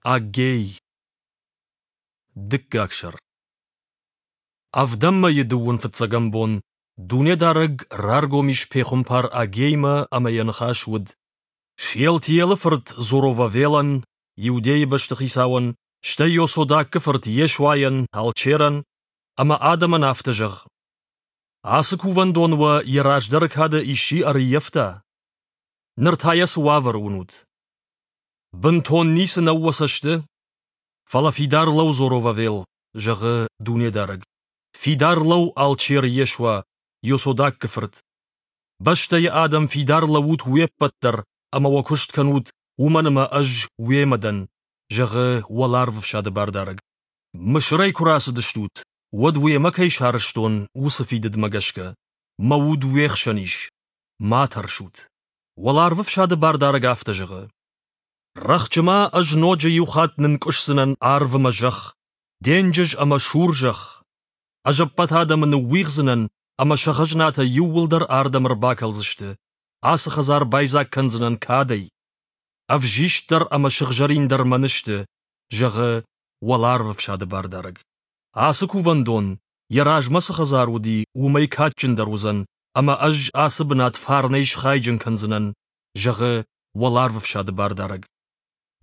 Аггей. Дыккаг сӕр. Ӕвдӕм мӕйы дыууын фыццӕгӕм бон Дунедарӕг раргом ис пехуымпар Аггеймӕ ӕмӕ йӕ ныхас уыд: Шиелтиелы фырт Зоровавелӕн, Иудейы бӕстыхицауӕн, стӕй Иосодаккы фырт Йешуайӕн, алчерӕн, ӕмӕ адӕмӕн афтӕ зӕгъ: Ацы кувӕндон уӕ йӕ раздӕры кады исчи ӕрыййӕфта? Ныр та йӕ цы уавӕры уынут? Бынтон ницы нӕу уӕ цӕсты? Фӕлӕ фидар лӕуу, Зоровавел, зӕгъы Дунедарӕг. Фидар лӕуу, алчер Йешуа, Иосодаккы фырт. Бӕстӕйы адӕм фидар лӕуут уе ппӕт дӕр ӕмӕ уӕ куыст кӕнут, уымӕн ӕмӕ ӕз уемӕ дӕн, зӕгъы Уӕларвӕфсады Бардарӕг. Мысырӕй куы рацыдыстут, уӕд уемӕ кӕй сарӕзтон, уыцы фидыдмӕ гӕсгӕ. Мӕ уд уе хсӕн ис. Ма тӕрсут. Уӕларвӕфсады Бардарӕг афтӕ зӕгъы: Рӕхджы ма ӕз ноджы иу хатт нынкъуысдзынӕн арв ӕмӕ зӕхх, денджыз ӕмӕ сур зӕхх. Ӕз ӕппӕт адӕмы ныууигъдзынӕн ӕмӕ сӕ хӕзнатӕ иууылдӕр ардӕм ӕрбакӕлдзысты. Ацы хӕдзар байдзаг кӕндзынӕн кадӕй. Ӕвзист дӕр ӕмӕ сыгъзӕрин дӕр мӕн сты, зӕгъы Уӕларвӕфсады Бардарӕг. Ацы кувӕндон, йӕ размӕ цы хӕдзар уыди, уымӕй кадджындӕр уыдзӕн, ӕмӕ ӕз ацы бынат фарнӕй схайджын кӕндзынӕн, зӕгъы Уӕларвӕфсады Бардарӕг.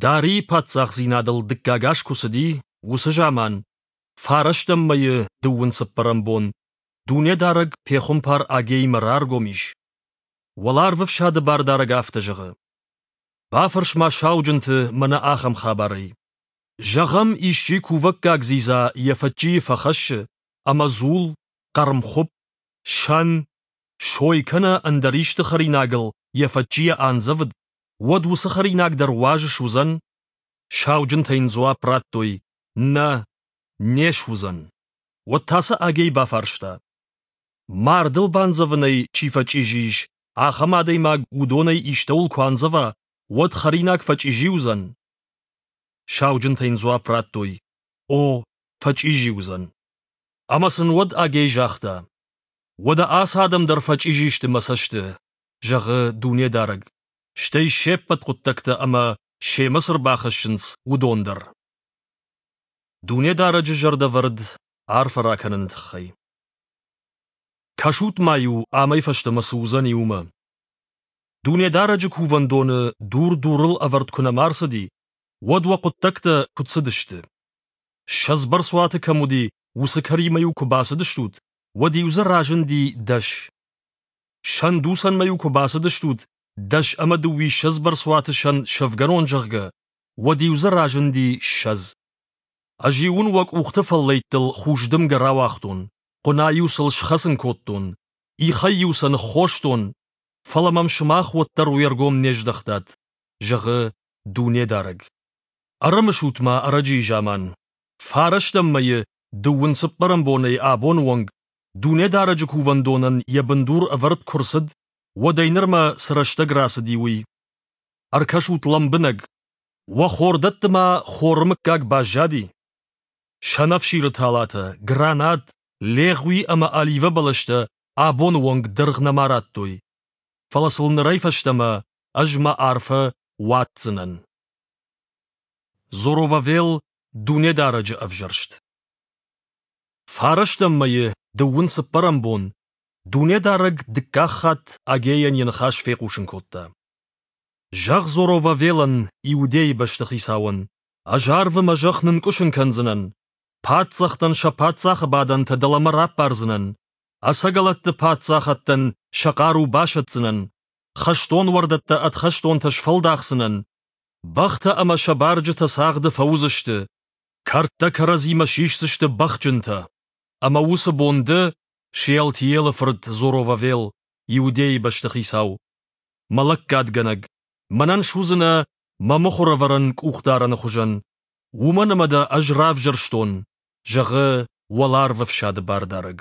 Дарийы паддзахдзинадыл дыккаг аз куы цыди, уыцы заман, фарӕстӕм мӕйы дыууын цыппӕрӕм бон, Дунедарӕг пехуымпар Агеимӕ раргом ис. Уӕларвӕфсады Бардарӕг афтӕ зӕгъы: Бафӕрс-ма сауджынты мӕнӕ ахӕм хабарӕй. Зӕгъӕм, исчи кувӕггаг дзидза йӕ фӕччийы фӕхӕссы, ӕмӕ дзул, хъӕрмхуыпп, сӕн, сой кӕнӕ ӕндӕр исты хӕринагыл йӕ фӕччийӕ андзӕвыд, уӕд уыцы хӕринаг дӕр уаз суыдзӕн? Сауджынтӕ йын дзуапп радтой: Нӕ, не суыдзӕн. Уӕд та сӕ Агей бафарста: Мардыл бандзӕвынӕй чи фӕчъизи ис, ахӕм адӕймаг уыдонӕй истӕуыл куы андзӕва, уӕд хӕринаг фӕчъизи уыдзӕн? Сауджынтӕ йын дзуапп радтой: О, фӕчъизи уыдзӕн. Ӕмӕ сын уӕд Агей загъта: Уӕдӕ ацы адӕм дӕр фӕчъизи сты мӕ цӕсты, зӕгъы Дунедарӕг, стӕй се ппӕт хъуыддӕгтӕ ӕмӕ, семӕ цы рбахӕссынц, уыдон дӕр. Дунедарӕджы зӕрдӕвӕрд арфӕ ракӕныны тыххӕй. Кӕсут-ма-иу, амӕй фӕстӕмӕ цы уыдзӕни, уымӕ. Дунедарӕджы кувӕндоны дур дурыл ӕвӕрд куы нӕма рцыди, уӕд уӕ хъуыддӕгтӕ куыд цыдысты? Ссӕдз бӕрцуаты кӕм уыди, уыцы кӕримӕ-иу куы бацыдыстут, уӕд-иу дзы разынди дӕс. Сӕндуцӕнмӕ-иу куы бацыдыстут, дӕс ӕмӕ дыууиссӕдз бӕрцуаты сӕн сӕвгӕнон, зӕгъгӕ, уӕд-иу дзы разынди ссӕдз. Ӕз-иу уын уӕ къухты фӕллӕйттыл хус дымгӕ рауагътон, хъуына-иу сыл схӕцын кодтон, ихӕй-иу сӕ ныххостон, фӕлӕ мӕм сымах уӕддӕр уе ргом не здӕхтат, зӕгъы Дунедарӕг. Ӕрымысут-ма ӕрӕджыйы заман, фарӕстӕм мӕйы дыууын цыппӕрӕм бонӕй абоны онг Дунедарӕджы кувӕндонӕн йӕ бындур ӕвӕрд куы рцыд, уӕдӕй нырмӕ цы рӕстӕг рацыди, уый. Ӕркӕсут лӕмбынӕг, уӕ хордӕтты ма хоры мыггаг баззади? Сӕнӕфсиры талатӕ, гранат, легъуи ӕмӕ оливӕ бӕлӕстӕ абоны онг дыргъ нӕма радтой. Фӕлӕ сыл нырӕй фӕстӕмӕ ӕз мӕ арфӕ уадздзынӕн. Зоровавел Дунедарӕджы ӕвзӕрст. Фарӕстӕм мӕйы дыууын цыппӕрӕм бон Дунедарӕг дыккаг хатт Агейӕн йӕ ныхас фехъусын кодта. Зӕгъ Зоровавелӕн, Иудейы бӕстыхицауӕн, ӕз арвы мӕ зӕхх нынкъуысын кӕндзынӕн, паддзӕхтӕн сӕ паддзахы бадӕнтӕ дӕлӕмӕ раппардзынӕн, ӕцӕгӕлӕтты паддзахӕдтӕн сӕ хъару басӕтдзынӕн, хӕстон уӕрдӕттӕ ӕд хӕстонтӕ сфӕлдахдзынӕн, бӕхтӕ ӕмӕ сӕ барджытӕ цагъды фӕуыдзысты, кӕрдтӕ кӕрӕдзимӕ сисдзысты бӕхджынтӕ. Ӕмӕ уыцы бон ды, Шеалтиелы фырт Зоровавел, Иудейы бӕстыхицау, мӕ лӕггадгӕнӕг, мӕнӕн суыдзынӕ мӕ мыхуырӕвӕрӕн къухдарӕны хуызӕн, уымӕн ӕмӕ дӕ ӕз равзӕрстон, зӕгъы Уӕларвӕфсады Бардарӕг.